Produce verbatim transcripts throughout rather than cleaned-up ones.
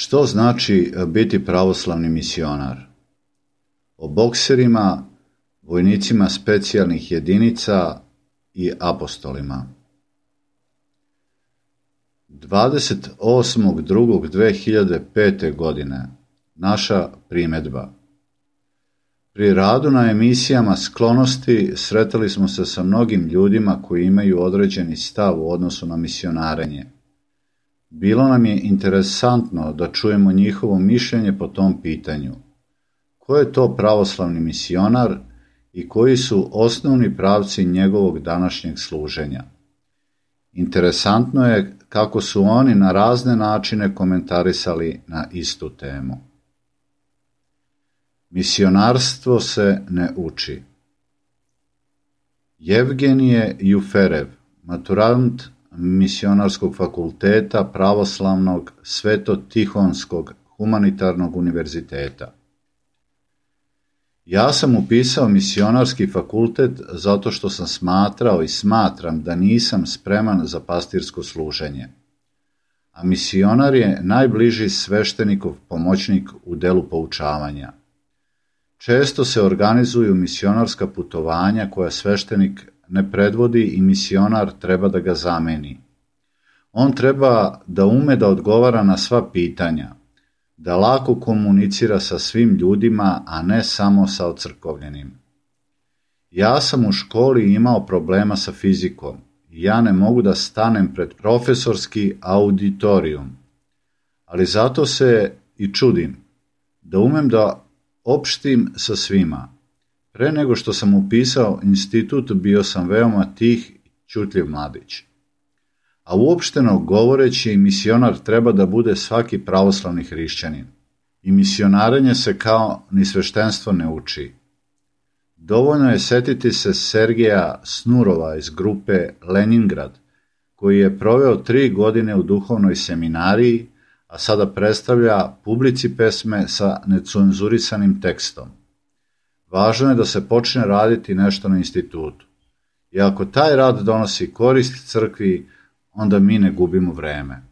Što znači biti pravoslavni misionar? O bokserima, vojnicima specijalnih jedinica i apostolima. dvadeset osmog drugog dve hiljade pete. godine naša primedba. Pri radu na emisijama sklonosti sretali smo se sa mnogim ljudima koji imaju određeni stav u odnosu na misionarenje. Bilo nam je interesantno da čujemo njihovo mišljenje po tom pitanju. Ko je to pravoslavni misionar i koji su osnovni pravci njegovog današnjeg služenja? Interesantno je kako su oni na razne načine komentarisali na istu temu. Misionarstvo se ne uči. Jevgenije Juferev, maturant Misionarskog fakulteta Pravoslavnog Sveto-Tihonskog humanitarnog univerziteta. Ja sam upisao misionarski fakultet zato što sam smatrao i smatram da nisam spreman za pastirsko služenje. A misionar je najbliži sveštenikov pomoćnik u delu poučavanja. Često se organizuju misionarska putovanja koja sveštenik ne predvodi i misionar treba da ga zameni. On treba da ume da odgovara na sva pitanja, da lako komunicira sa svim ljudima, a ne samo sa ocrkovljenim. Ja sam u školi imao problema sa fizikom i ja ne mogu da stanem pred profesorski auditorijum, ali zato se i čudim, da umem da opštim sa svima. Pre nego što sam upisao institut, bio sam veoma tih i ćutljiv mladić. A uopšteno govoreći, misionar treba da bude svaki pravoslavni hrišćanin. I misionarenje se kao ni sveštenstvo ne uči. Dovoljno je setiti se Sergeja Snurova iz grupe Leningrad, koji je proveo tri godine u duhovnoj seminariji, a sada predstavlja publici pesme sa necenzurisanim tekstom. Važno je da se počne raditi nešto na institutu. I ako taj rad donosi korist crkvi, onda mi ne gubimo vreme.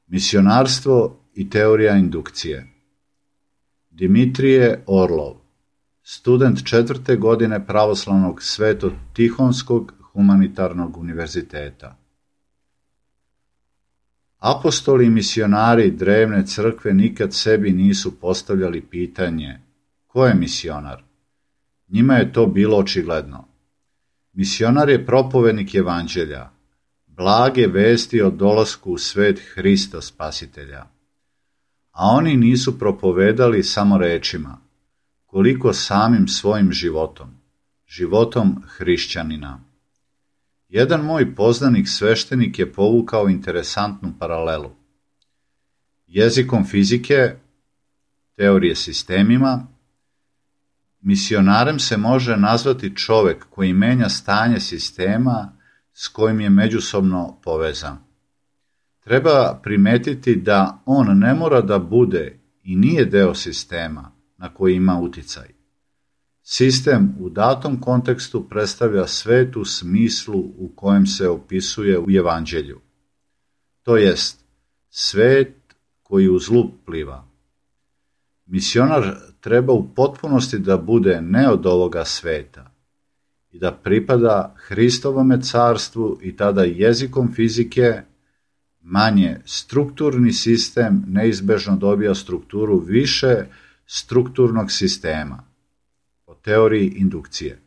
Misionarstvo i teorija indukcije. Dimitrije Orlov, student četvrte godine Pravoslavnog Sveto-Tihonskog humanitarnog univerziteta. Apostoli i misionari drevne crkve nikad sebi nisu postavljali pitanje ko je misionar. Njima je to bilo očigledno. Misionar je propovednik evanđelja, blage vesti o dolasku u svet Hrista Spasitelja. A oni nisu propovedali samo rečima, koliko samim svojim životom, životom hrišćanina. Jedan moj poznanik sveštenik je povukao interesantnu paralelu. Jezikom fizike, teorije sistemima, misionarem se može nazvati čovek koji menja stanje sistema s kojim je međusobno povezan. Treba primetiti da on ne mora da bude i nije deo sistema na koji ima uticaj. Sistem u datom kontekstu predstavlja svet u smislu u kojem se opisuje u evanđelju. To jest, svet koji u zlu pliva. Misionar treba u potpunosti da bude ne od ovoga sveta i da pripada Hristovome carstvu i tada jezikom fizike, manje strukturni sistem neizbežno dobija strukturu više strukturnog sistema, po teoriji indukcije.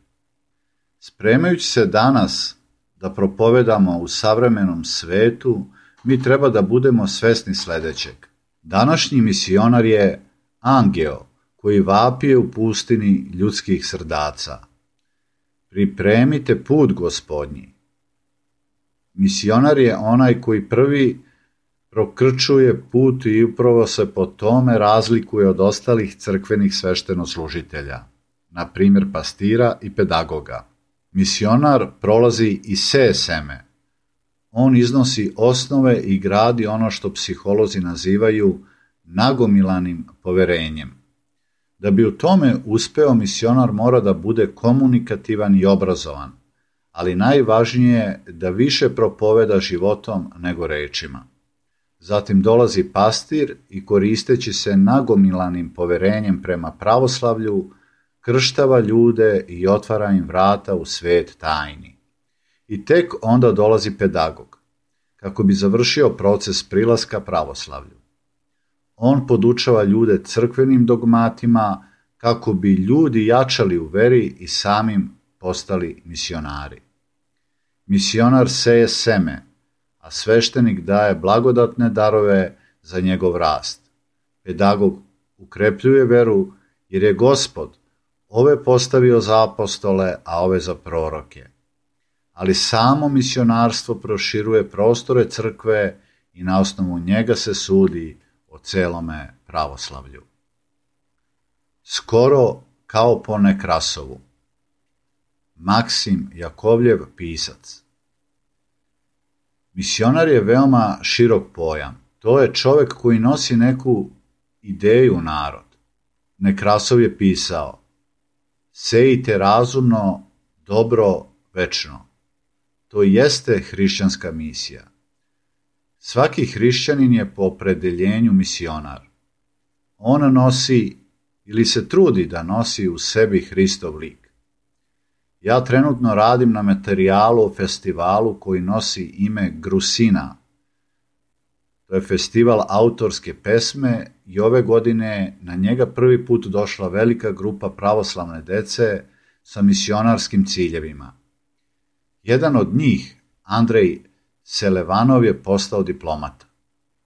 Spremajući se danas da propovedamo u savremenom svetu, mi treba da budemo svesni sledećeg. Današnji misionar je angeo koji vapije u pustini ljudskih srdaca. Pripremite put Gospodnji. Misionar je onaj koji prvi prokrčuje put i upravo se po tome razlikuje od ostalih crkvenih sveštenoslužitelja, na primjer pastira i pedagoga. Misionar prolazi i seje seme. On iznosi osnove i gradi ono što psiholozi nazivaju nagomilanim poverenjem. Da bi u tome uspeo, misionar mora da bude komunikativan i obrazovan, ali najvažnije je da više propoveda životom nego rečima. Zatim dolazi pastir i koristeći se nagomilanim poverenjem prema pravoslavlju, krštava ljude i otvara im vrata u svet tajni. I tek onda dolazi pedagog, kako bi završio proces prilaska pravoslavlju. On podučava ljude crkvenim dogmatima kako bi ljudi jačali u veri i samim postali misionari. Misionar seje seme, a sveštenik daje blagodatne darove za njegov rast. Pedagog ukrepljuje veru jer je Gospod ove postavio za apostole, a ove za proroke. Ali samo misionarstvo proširuje prostore crkve i na osnovu njega se sudi o celome pravoslavlju. Skoro kao po Nekrasovu. Maksim Jakovljev, pisac. Misionar je veoma širok pojam. To je čovek koji nosi neku ideju u narod. Nekrasov je pisao: sejte razumno, dobro, večno. To jeste hrišćanska misija. Svaki hrišćanin je po opredeljenju misionar. On nosi ili se trudi da nosi u sebi Hristov lik. Ja trenutno radim na materijalu o festivalu koji nosi ime Grusina. To je festival autorske pesme i ove godine na njega prvi put došla velika grupa pravoslavne dece sa misionarskim ciljevima. Jedan od njih, Andrej Selevanov, je postao diplomata.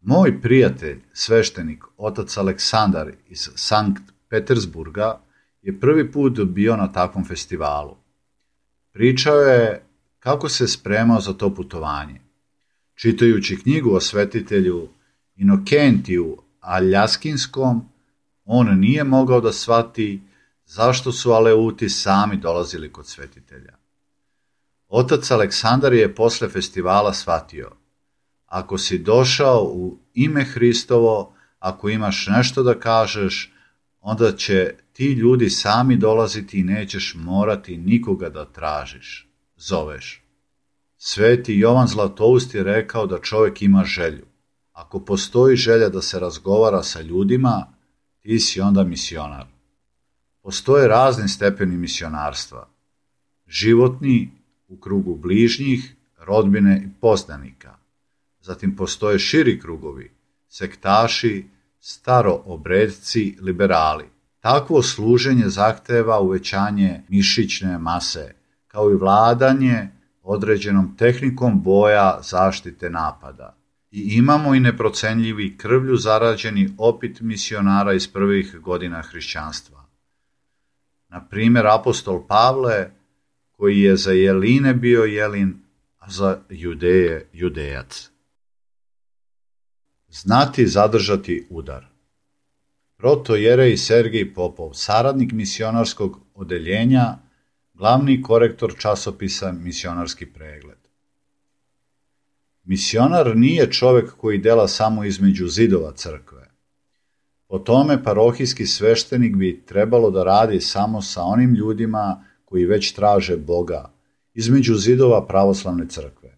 Moj prijatelj, sveštenik, otac Aleksandar iz Sankt Petersburga, je prvi put bio na takvom festivalu. Pričao je kako se spremao za to putovanje. Čitajući knjigu o svetitelju Inokentiju Aljaskinskom, on nije mogao da shvati zašto su Aleuti sami dolazili kod svetitelja. Otac Aleksandar je posle festivala shvatio: ako si došao u ime Hristovo, ako imaš nešto da kažeš, onda će ti ljudi sami dolaziti i nećeš morati nikoga da tražiš, zoveš. Sveti Jovan Zlatoust je rekao da čovjek ima želju. Ako postoji želja da se razgovara sa ljudima, ti si onda misionar. Postoje razni stepeni misionarstva. Životni, u krugu bližnjih, rodbine i poznanika. Zatim postoje širi krugovi, sektaši, staroobredci, liberali. Takvo služenje zahteva uvećanje mišićne mase, kao i vladanje određenom tehnikom boja zaštite napada. I imamo i neprocenljivi krvlju zarađeni opit misionara iz prvih godina hrišćanstva. Na primjer, apostol Pavle, koji je za Jeline bio Jelin, a za Judeje Judejac. Znati zadržati udar. Protojerej Sergij Popov, saradnik misionarskog odeljenja, glavni korektor časopisa Misionarski pregled. Misionar nije čovek koji dela samo između zidova crkve. Po tome parohijski sveštenik bi trebalo da radi samo sa onim ljudima koji već traže Boga, između zidova pravoslavne crkve.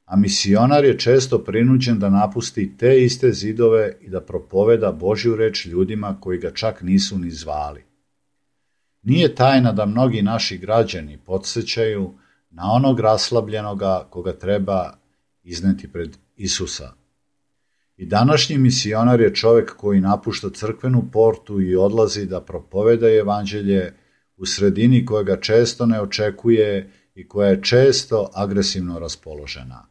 A misionar je često prinuđen da napusti te iste zidove i da propoveda Božju reč ljudima koji ga čak nisu ni zvali. Nije tajna da mnogi naši građani podsjećaju na onog raslabljenoga koga treba izneti pred Isusa. I današnji misionar je čovek koji napušta crkvenu portu i odlazi da propoveda evanđelje u sredini koja ga često ne očekuje i koja je često agresivno raspoložena.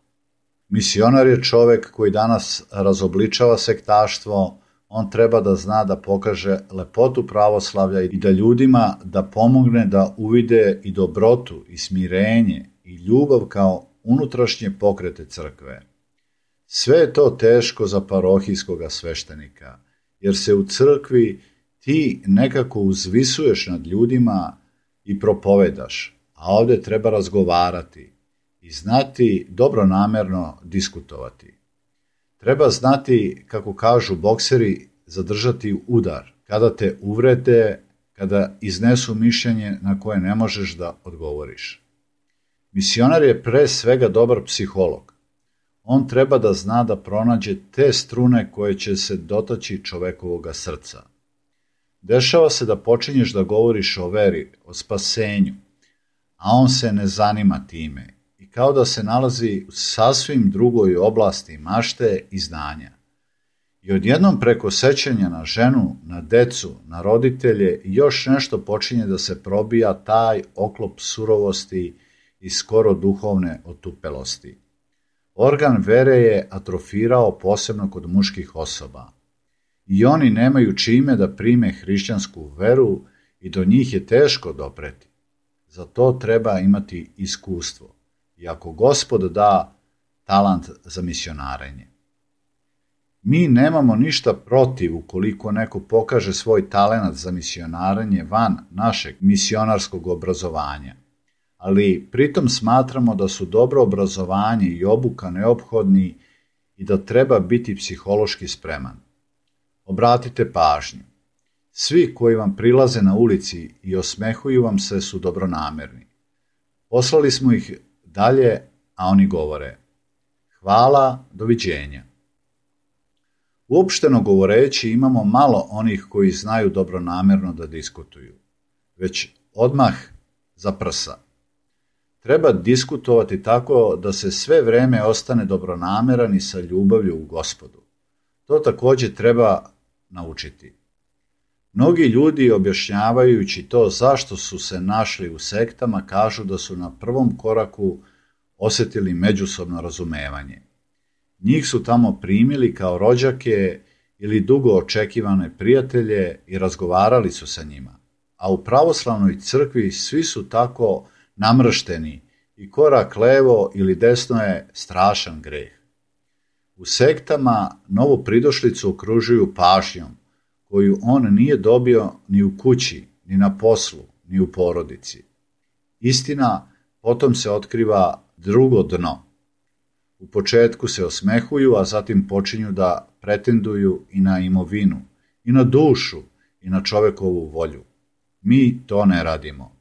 Misionar je čovek koji danas razobličava sektaštvo. On treba da zna da pokaže lepotu pravoslavlja i da ljudima da pomogne da uvide i dobrotu i smirenje i ljubav kao unutrašnje pokrete crkve. Sve je to teško za parohijskoga sveštenika, jer se u crkvi ti nekako uzvisuješ nad ljudima i propovedaš, a ovdje treba razgovarati i znati dobronamerno diskutovati. Treba znati, kako kažu bokseri, zadržati udar, kada te uvrede, kada iznesu mišljenje na koje ne možeš da odgovoriš. Misionar je pre svega dobar psiholog. On treba da zna da pronađe te strune koje će se dotaći čovekovoga srca. Dešava se da počinješ da govoriš o veri, o spasenju, a on se ne zanima time i kao da se nalazi u sasvim drugoj oblasti mašte i znanja. I odjednom preko sećanja na ženu, na decu, na roditelje i još nešto počinje da se probija taj oklop surovosti i skoro duhovne otupelosti. Organ vere je atrofirao posebno kod muških osoba. I oni nemaju čime da prime hrišćansku veru i do njih je teško dopreti. Za to treba imati iskustvo. I ako Gospod da talant za misionarenje. Mi nemamo ništa protiv ukoliko neko pokaže svoj talenat za misionarenje van našeg misionarskog obrazovanja, ali pritom smatramo da su dobro obrazovanje i obuka neophodni i da treba biti psihološki spreman. Obratite pažnju. Svi koji vam prilaze na ulici i osmehuju vam se su dobronamerni. Poslali smo ih dalje, a oni govore: hvala, doviđenja. Uopšteno govoreći, imamo malo onih koji znaju dobronamerno da diskutuju, već odmah za prsa. Treba diskutovati tako da se sve vreme ostane dobronameran i sa ljubavlju u Gospodu. To također treba naučiti. Mnogi ljudi, objašnjavajući to zašto su se našli u sektama, kažu da su na prvom koraku osjetili međusobno razumevanje. Njih su tamo primili kao rođake ili dugo očekivane prijatelje i razgovarali su sa njima. A u pravoslavnoj crkvi svi su tako namršteni i korak levo ili desno je strašan greh. U sektama novopridošlicu okružuju pažnjom koju on nije dobio ni u kući, ni na poslu, ni u porodici. Istina potom se otkriva drugo dno. U početku se osmehuju, a zatim počinju da pretenduju i na imovinu, i na dušu, i na čovekovu volju. Mi to ne radimo.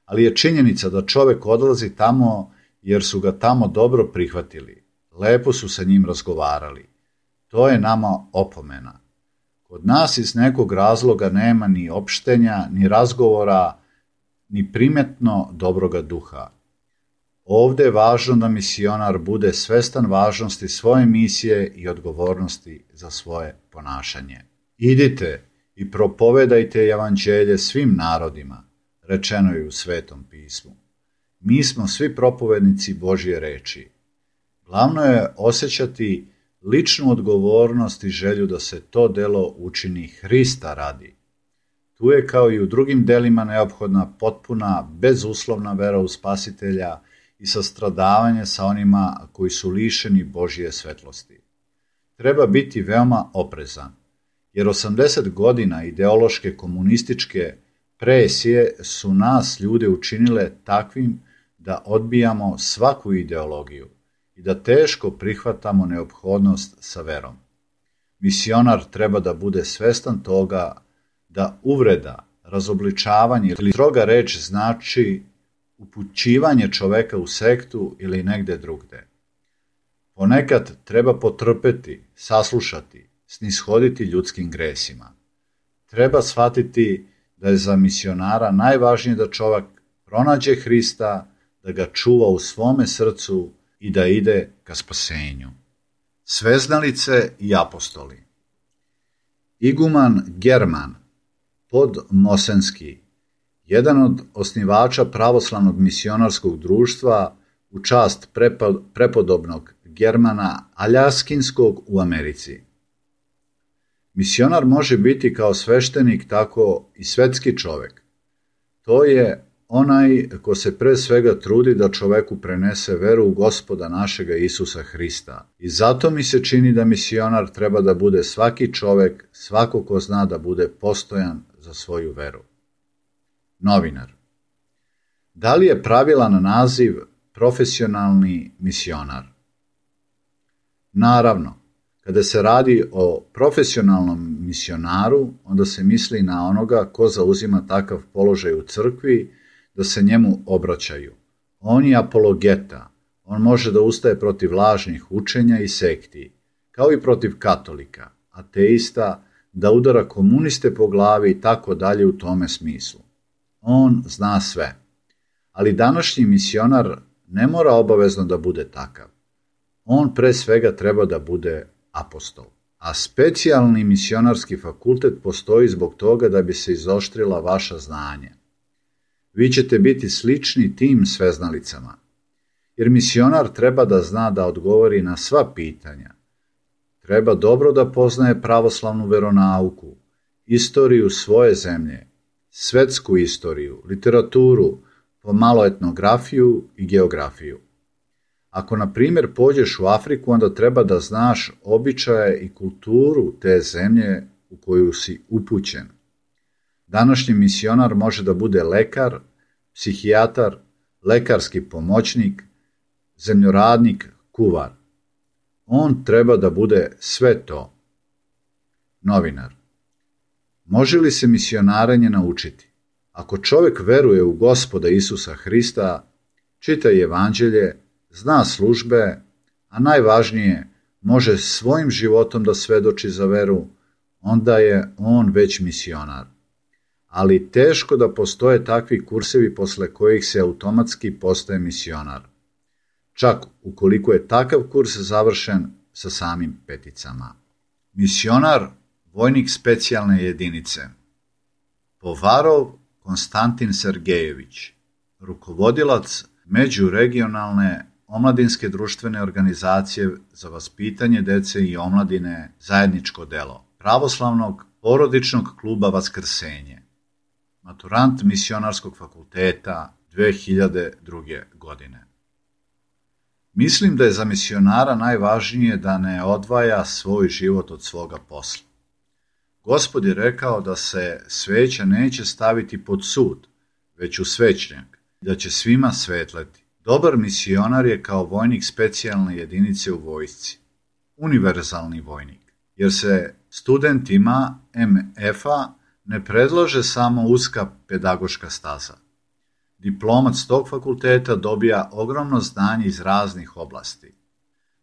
Ali je činjenica da čovek odlazi tamo jer su ga tamo dobro prihvatili. Lepo su sa njim razgovarali. To je nama opomena. Kod nas iz nekog razloga nema ni opštenja, ni razgovora, ni primetno dobroga duha. Ovde je važno da misionar bude svestan važnosti svoje misije i odgovornosti za svoje ponašanje. Idite i propovedajte evanđelje svim narodima, rečeno je u Svetom pismu. Mi smo svi propovednici Božje reči. Glavno je osjećati ličnu odgovornost i želju da se to delo učini Hrista radi. Tu je kao i u drugim delima neophodna potpuna, bezuslovna vera u Spasitelja i sastradavanje sa onima koji su lišeni Božje svetlosti. Treba biti veoma oprezan, jer osamdeset godina ideološke komunističke presije su nas ljude učinile takvim da odbijamo svaku ideologiju i da teško prihvatamo neophodnost sa verom. Misionar treba da bude svestan toga da uvreda, razobličavanje ili stroga reč znači upućivanje čoveka u sektu ili negde drugde. Ponekad treba potrpeti, saslušati, snishoditi ljudskim gresima. Treba shvatiti da je za misionara najvažnije da čovek pronađe Hrista, da ga čuva u svome srcu i da ide ka spasenju. Sveznalice i apostoli. Iguman German Podmosenski, jedan od osnivača pravoslavnog misionarskog društva u čast prepodobnog Germana Aljaskinskog u Americi. Misionar može biti kao sveštenik, tako i svetski čovek. To je onaj ko se pre svega trudi da čoveku prenese veru u Gospoda našega Isusa Hrista. I zato mi se čini da misionar treba da bude svaki čovek, svako ko zna da bude postojan za svoju veru. Novinar. Da li je pravilan naziv profesionalni misionar? Naravno, kada se radi o profesionalnom misionaru, onda se misli na onoga ko zauzima takav položaj u crkvi da se njemu obraćaju. On je apologeta, On može da ustaje protiv lažnih učenja i sekti, kao i protiv katolika, ateista, da udara komuniste po glavi i tako dalje u tome smislu. On zna sve. Ali današnji misionar ne mora obavezno da bude takav. On pre svega treba da bude apostol. A specijalni misionarski fakultet postoji zbog toga da bi se izoštrila vaša znanja. Vi ćete biti slični tim sveznalicama, jer misionar treba da zna da odgovori na sva pitanja. Treba dobro da poznaje pravoslavnu veronauku, istoriju svoje zemlje, svetsku istoriju, literaturu, pomalo etnografiju i geografiju. Ako, na primjer, pođeš u Afriku, onda treba da znaš običaje i kulturu te zemlje u koju si upućen. Današnji misionar može da bude lekar, psihijatar, lekarski pomoćnik, zemljoradnik, kuvar. On treba da bude sve to. Novinar. Može li se misionarenje naučiti? Ako čovjek veruje u Gospoda Isusa Hrista, čita evanđelje, zna službe, a najvažnije, može svojim životom da svedoči za veru, onda je on već misionar. Ali teško da postoje takvi kursevi posle kojih se automatski postaje misionar. Čak ukoliko je takav kurs završen sa samim peticama. Misionar, vojnik specijalne jedinice. Povarov Konstantin Sergejević, rukovodilac međuregionalne omladinske društvene organizacije za vaspitanje dece i omladine Zajedničko delo, pravoslavnog porodičnog kluba Vaskrsenje, maturant misionarskog fakulteta dve hiljade druge. godine. Mislim da je za misionara najvažnije da ne odvaja svoj život od svoga posla. Gospod je rekao da se sveća neće staviti pod sud, već u svećnjak, da će svima svetleti. Dobar misionar je kao vojnik specijalne jedinice u vojsci, univerzalni vojnik, jer se studentima em ef-a ne predlaže samo uska pedagoška staza. Diplomac tog fakulteta dobija ogromno znanje iz raznih oblasti.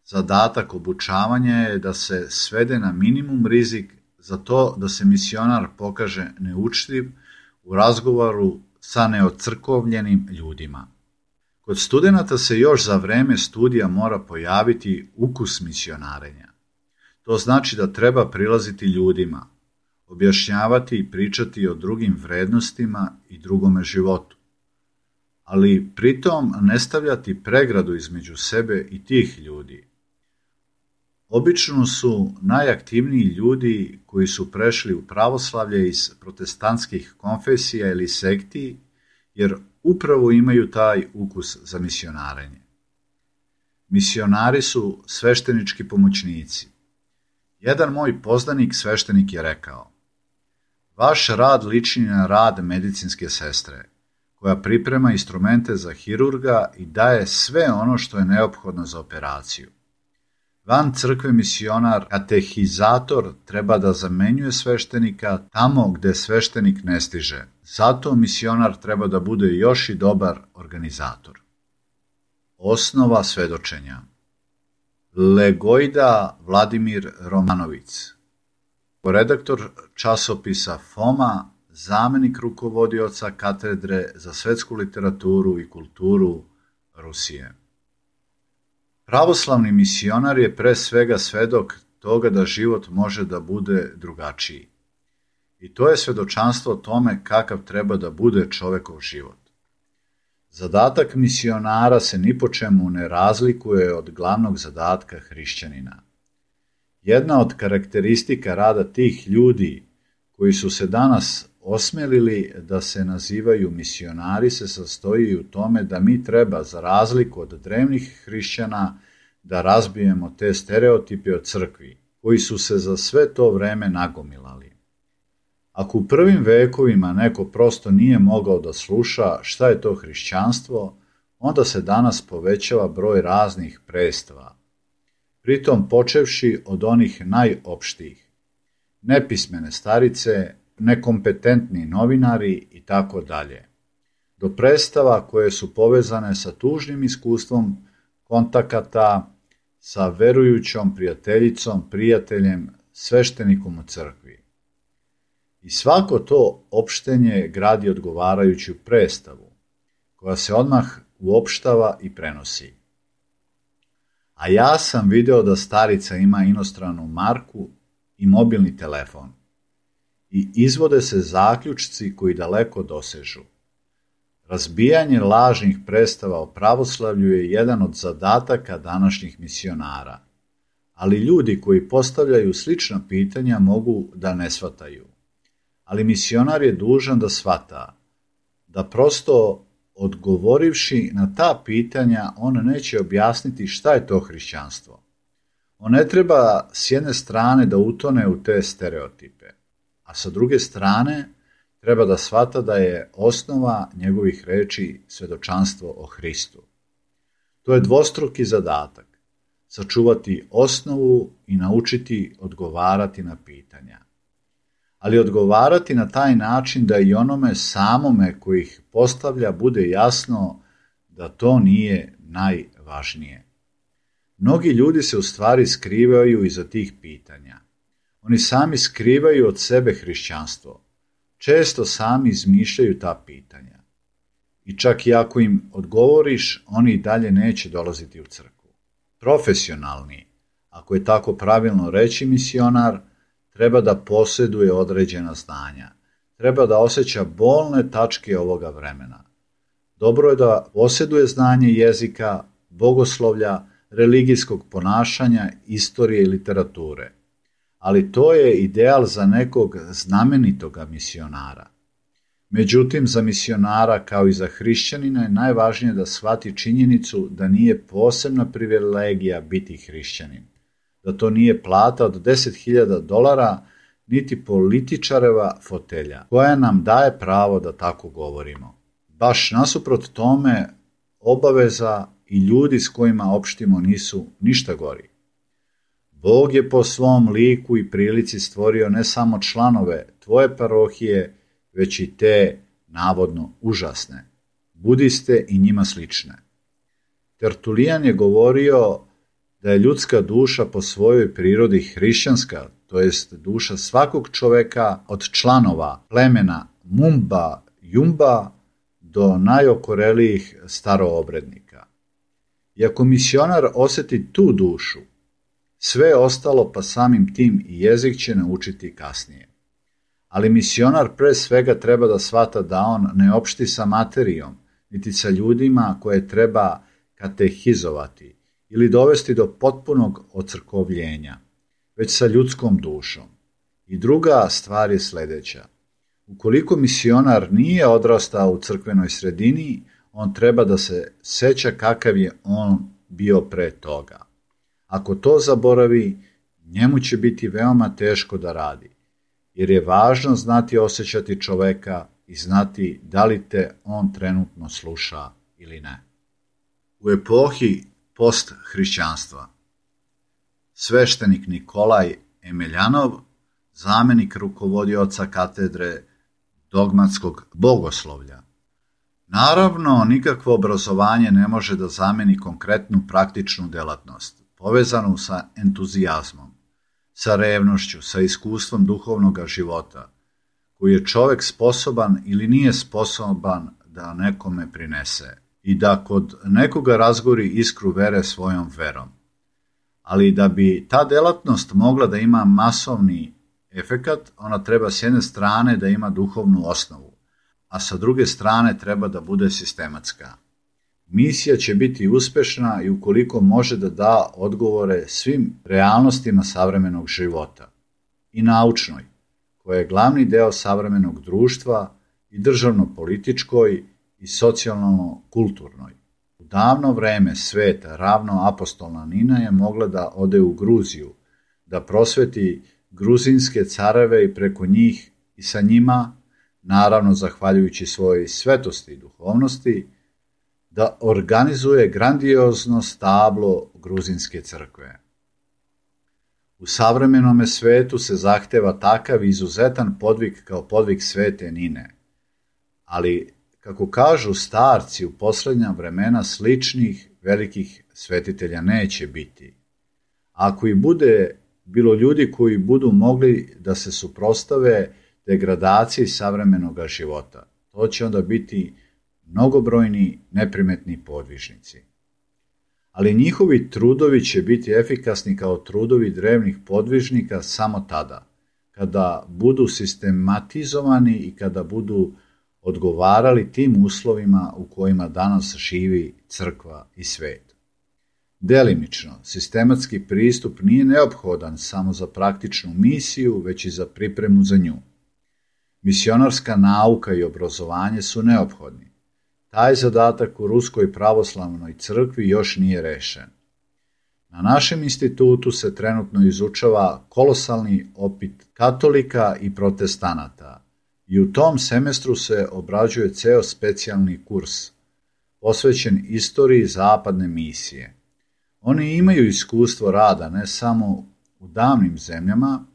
Zadatak obučavanja je da se svede na minimum rizik za to da se misionar pokaže neučtiv u razgovoru sa neocrkovljenim ljudima. Kod studenata se još za vreme studija mora pojaviti ukus misionarenja. To znači da treba prilaziti ljudima, objašnjavati i pričati o drugim vrednostima i drugome životu, ali pritom ne stavljati pregradu između sebe i tih ljudi. Obično su najaktivniji ljudi koji su prešli u pravoslavlje iz protestantskih konfesija ili sekti, jer upravo imaju taj ukus za misionarenje. Misionari su sveštenički pomoćnici. Jedan moj poznanik sveštenik je rekao: vaš rad liči na rad medicinske sestre, koja priprema instrumente za hirurga i daje sve ono što je neophodno za operaciju. Van crkve misionar, katehizator, treba da zamenjuje sveštenika tamo gde sveštenik ne stiže. Zato misionar treba da bude još i dobar organizator. Osnova svedočenja. Legojda Vladimir Romanović, redaktor časopisa Foma, zamenik rukovodioca katedre za svetsku literaturu i kulturu Rusije. Pravoslavni misionar je pre svega svedok toga da život može da bude drugačiji. I to je svedočanstvo o tome kakav treba da bude čovekov život. Zadatak misionara se ni po čemu ne razlikuje od glavnog zadatka hrišćanina. Jedna od karakteristika rada tih ljudi koji su se danas osmelili da se nazivaju misionari se sastoji u tome da mi treba, za razliku od drevnih hrišćana, da razbijemo te stereotipe o crkvi, koji su se za sve to vreme nagomilali. Ako u prvim vekovima neko prosto nije mogao da sluša šta je to hrišćanstvo, onda se danas povećava broj raznih predstava, pritom počevši od onih najopštijih, nepismene starice, nekompetentni novinari i tako dalje, do predstava koje su povezane sa tužnim iskustvom kontakata sa verujućom prijateljicom, prijateljem, sveštenikom u crkvi. I svako to opštenje gradi odgovarajuću predstavu, koja se odmah uopštava i prenosi. A ja sam video da starica ima inostranu marku i mobilni telefon. I izvode se zaključci koji daleko dosežu. Razbijanje lažnih predstava o pravoslavlju je jedan od zadataka današnjih misionara, ali ljudi koji postavljaju slična pitanja mogu da ne shvataju. Ali misionar je dužan da shvata, da prosto odgovorivši na ta pitanja on neće objasniti šta je to hrišćanstvo. On ne treba s jedne strane da utone u te stereotipe, a sa druge strane treba da shvata da je osnova njegovih reči svedočanstvo o Hristu. To je dvostruki zadatak, sačuvati osnovu i naučiti odgovarati na pitanja. Ali odgovarati na taj način da i onome samome koji ih postavlja bude jasno da to nije najvažnije. Mnogi ljudi se u stvari skrivaju iza tih pitanja. Oni sami skrivaju od sebe hrišćanstvo. Često sami izmišljaju ta pitanja. I čak i ako im odgovoriš, oni i dalje neće dolaziti u crkvu. Profesionalni, ako je tako pravilno reći misionar, treba da posjeduje određena znanja. Treba da osjeća bolne tačke ovoga vremena. Dobro je da posjeduje znanje jezika, bogoslovlja, religijskog ponašanja, istorije i literature. Ali to je ideal za nekog znamenitoga misionara. Međutim, za misionara kao i za hrišćanina je najvažnije da shvati činjenicu da nije posebna privilegija biti hrišćanin, da to nije plata od deset hiljada dolara, niti političareva fotelja, koja nam daje pravo da tako govorimo. Baš nasuprot tome, obaveza i ljudi s kojima opštimo nisu ništa gori. Bog je po svom liku i prilici stvorio ne samo članove tvoje parohije, već i te navodno užasne, budiste i njima slične. Tertulijan je govorio da je ljudska duša po svojoj prirodi hrišćanska, to jest duša svakog čoveka od članova plemena Mumba, Jumba do najokorelijih staroobrednika. I ako misionar osjeti tu dušu, sve ostalo pa samim tim i jezik će naučiti kasnije. Ali misionar pre svega treba da shvata da on ne opšti sa materijom, niti sa ljudima koje treba katehizovati ili dovesti do potpunog ocrkovljenja, već sa ljudskom dušom. I druga stvar je sljedeća. Ukoliko misionar nije odrastao u crkvenoj sredini, on treba da se seća kakav je on bio pre toga. Ako to zaboravi, njemu će biti veoma teško da radi, jer je važno znati osjećati čoveka i znati da li te on trenutno sluša ili ne. U epohi post-hrišćanstva sveštenik Nikolaj Emeljanov, zamenik rukovodioca katedre dogmatskog bogoslovlja. Naravno, nikakvo obrazovanje ne može da zameni konkretnu praktičnu delatnost, povezanu sa entuzijazmom, sa revnošću, sa iskustvom duhovnog života, koji je čovek sposoban ili nije sposoban da nekome prinese i da kod nekoga razgori iskru vere svojom verom. Ali da bi ta delatnost mogla da ima masovni efekat, ona treba s jedne strane da ima duhovnu osnovu, a sa druge strane treba da bude sistematska. Misija će biti uspešna i ukoliko može da da odgovore svim realnostima savremenog života i naučnoj, koja je glavni deo savremenog društva i državno-političkoj i socijalno-kulturnoj. U davno vreme sveta ravno apostolna Nina je mogla da ode u Gruziju, da prosveti gruzinske careve i preko njih i sa njima, naravno zahvaljujući svojoj svetosti i duhovnosti, da organizuje grandiozno stablo gruzinske crkve. U savremenome svetu se zahteva takav izuzetan podvig kao podvig svete Nine, ali Kako kažu starci, u posljednja vremena sličnih velikih svetitelja neće biti. Ako i bude bilo ljudi koji budu mogli da se suprotstave degradaciji savremenog života, to će onda biti mnogobrojni neprimetni podvižnici. Ali njihovi trudovi će biti efikasni kao trudovi drevnih podvižnika samo tada, kada budu sistematizovani i kada budu odgovarali tim uslovima u kojima danas živi crkva i svet. Delimično, sistematski pristup nije neophodan samo za praktičnu misiju, već i za pripremu za nju. Misionarska nauka i obrazovanje su neophodni. Taj zadatak u Ruskoj pravoslavnoj crkvi još nije rešen. Na našem institutu se trenutno izučava kolosalni opit katolika i protestanata i u tom semestru se obrađuje ceo specijalni kurs posvećen istoriji zapadne misije. Oni imaju iskustvo rada ne samo u davnim zemljama,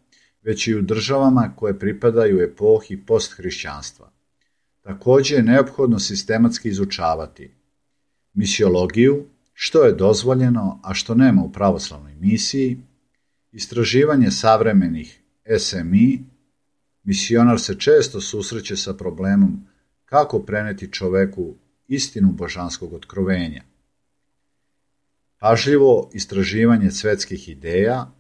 već i u državama koje pripadaju epohi posthrišćanstva. Također je neophodno sistematski izučavati misiologiju, što je dozvoljeno, a što nema u pravoslavnoj misiji, istraživanje savremenih S M I. Misionar se često susreće sa problemom kako preneti čoveku istinu božanskog otkrovenja. Pažljivo istraživanje svetskih ideja,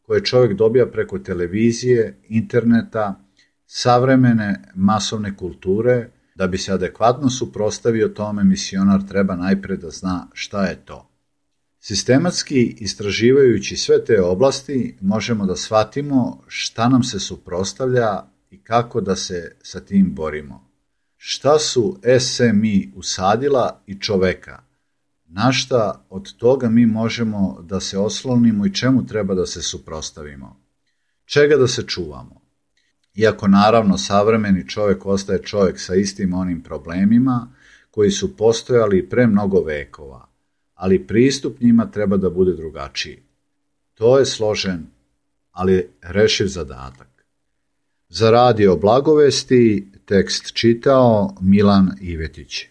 koje čovjek dobija preko televizije, interneta, savremene masovne kulture. Da bi se adekvatno suprotstavio tome, misionar treba najpre da zna šta je to. Sistematski istraživajući sve te oblasti, možemo da shvatimo šta nam se suprotstavlja i kako da se sa tim borimo. Šta su S M I usadila i čoveka? Na šta od toga mi možemo da se oslonimo i čemu treba da se suprotstavimo? Čega da se čuvamo? Iako naravno savremeni čovjek ostaje čovjek sa istim onim problemima koji su postojali pre mnogo vekova, ali pristup njima treba da bude drugačiji. To je složen, ali rešiv zadatak. Za radio Blagovesti tekst čitao Milan Ivetić.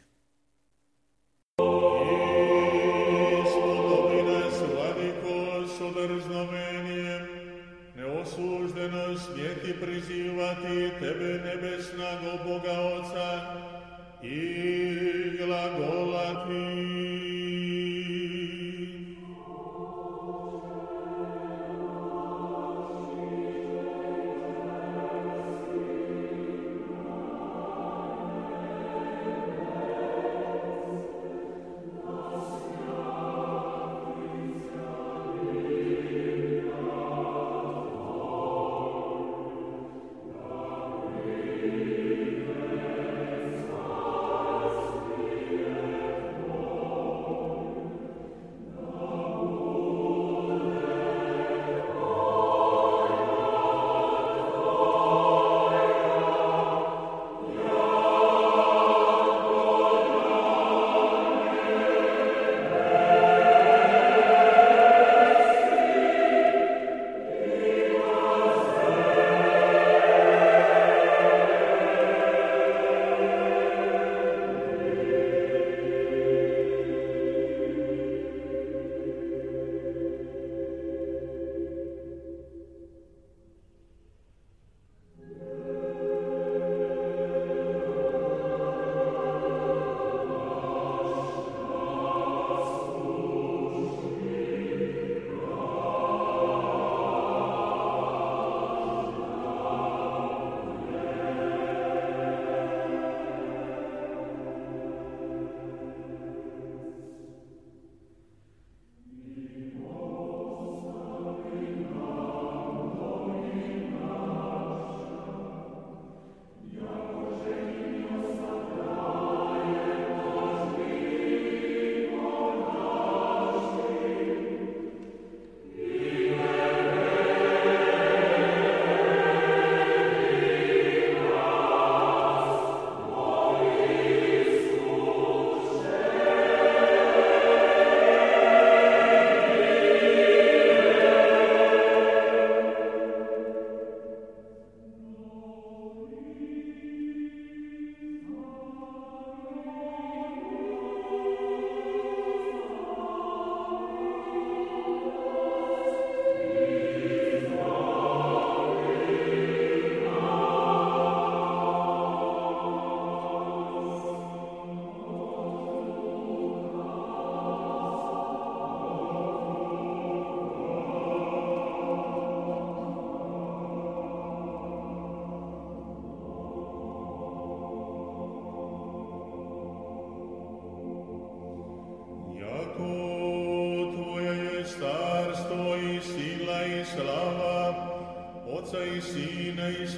Tebe nebesnago Boga Oca i glagolati.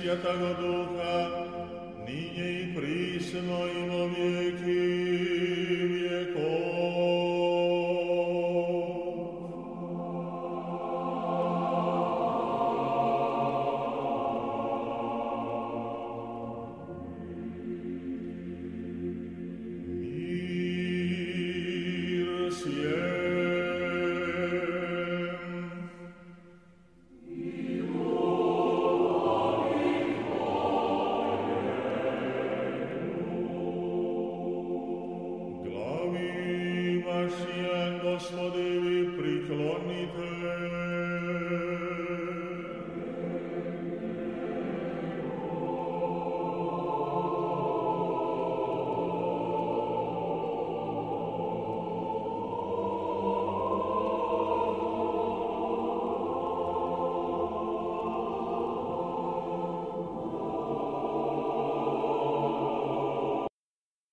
Svjetago Duha, ninje i prisno i vo vijeki vjekov. Mir svjem. Glavi vašija, Gospodi, vi priklonite